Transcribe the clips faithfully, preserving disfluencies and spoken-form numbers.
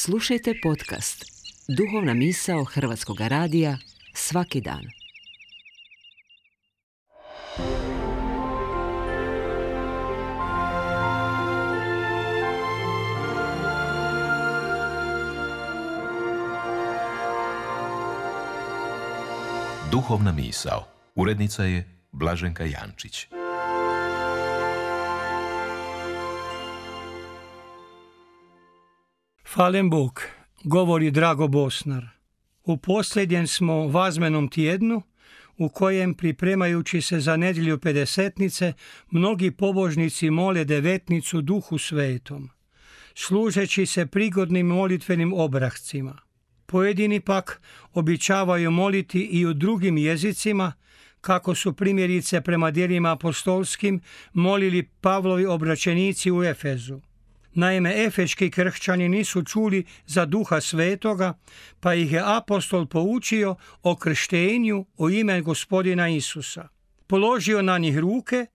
Slušajte podcast Duhovna misao Hrvatskog radija svaki dan. Duhovna misao. Urednica je Blaženka Jančić. Hvalem Bog, govori Drago Bosnar. U posljednjem smo vazmenom tjednu u kojem, pripremajući se za nedjelju pedesetnice, mnogi pobožnici mole devetnicu Duhu Svetom, služeći se prigodnim molitvenim obrascima. Pojedini pak običavaju moliti i u drugim jezicima, kako su primjerice prema djelima apostolskim molili Pavlovi obraćenici u Efezu. Naime, efeški kršćani nisu čuli za Duha Svetoga, pa ih je apostol poučio o krštenju u ime Gospodina Isusa. Položio na njih ruke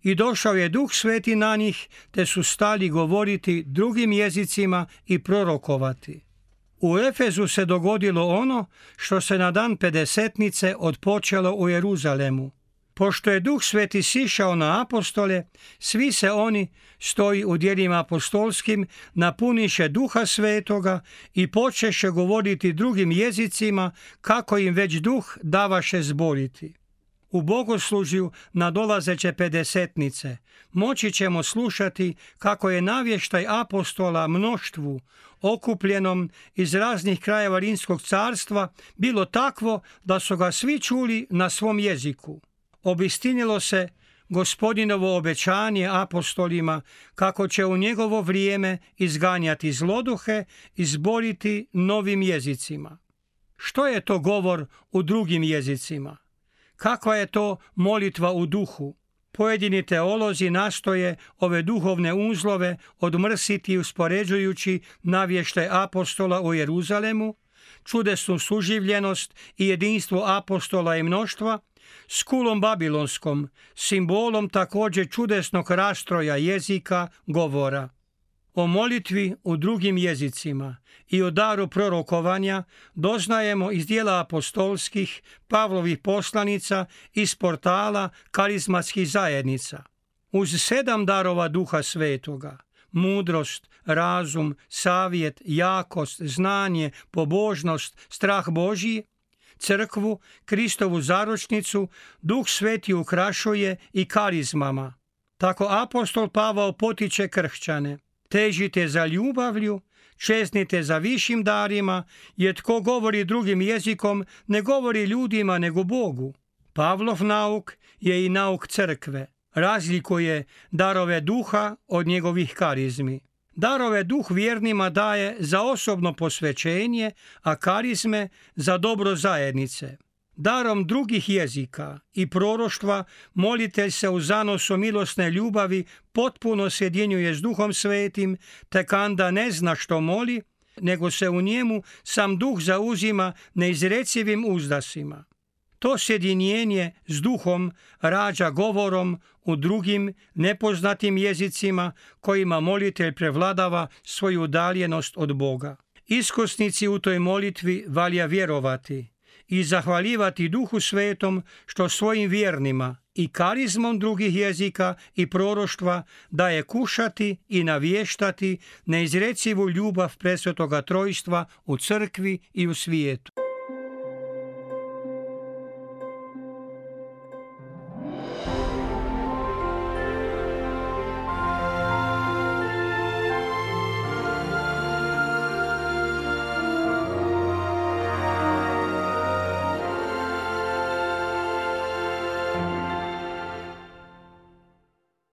i došao je Duh Sveti na njih, te su stali govoriti drugim jezicima i prorokovati. U Efezu se dogodilo ono što se na dan pedesetnice odpočelo u Jeruzalemu. Pošto je Duh Sveti sišao na apostole, svi se oni, stoji u djelima apostolskim, napuniše Duha Svetoga i počeše govoriti drugim jezicima, kako im već Duh davaše zboriti. U bogoslužju nadolazeće pedesetnice moći ćemo slušati kako je navještaj apostola mnoštvu, okupljenom iz raznih krajeva Rimskog carstva, bilo takvo da su ga svi čuli na svom jeziku. Obistinilo se Gospodinovo obećanje apostolima kako će u njegovo vrijeme izganjati zloduhe i zboriti novim jezicima. Što je to govor u drugim jezicima? Kakva je to molitva u duhu? Pojedini teolozi nastoje ove duhovne uzlove odmrsiti uspoređujući navještaj apostola u Jeruzalemu, čudesnu suživljenost i jedinstvo apostola i mnoštva, s kulom babilonskom, simbolom također čudesnog rastroja jezika, govora. O molitvi u drugim jezicima i o daru prorokovanja doznajemo iz dijela apostolskih, Pavlovih poslanica, iz portala karizmatskih zajednica. Uz sedam darova Duha Svetoga, mudrost, razum, savjet, jakost, znanje, pobožnost, strah Božji, crkvu, Kristovu zaručnicu, Duh Sveti ukrašuje i karizmama. Tako apostol Pavao potiče kršćane: težite za ljubavlju, čeznite za višim darima, jer tko govori drugim jezikom ne govori ljudima nego Bogu. Pavlov nauk je i nauk crkve. Razlikuje darove duha od njegovih karizmi. Darove duh vjernima daje za osobno posvećenje, a karizme za dobro zajednice. Darom drugih jezika i proroštva molitelj se u zanosu milosne ljubavi potpuno sjedinjuje s Duhom Svetim, te kanda ne zna što moli, nego se u njemu sam Duh zauzima neizrecivim uzdasima. To sjedinjenje s Duhom rađa govorom u drugim nepoznatim jezicima kojima molitelj prevladava svoju udaljenost od Boga. Iskusnici u toj molitvi valja vjerovati i zahvaljivati Duhu Svetom što svojim vjernima i karizmom drugih jezika i proroštva daje kušati i navještati neizrecivu ljubav presvetoga trojstva u crkvi i u svijetu.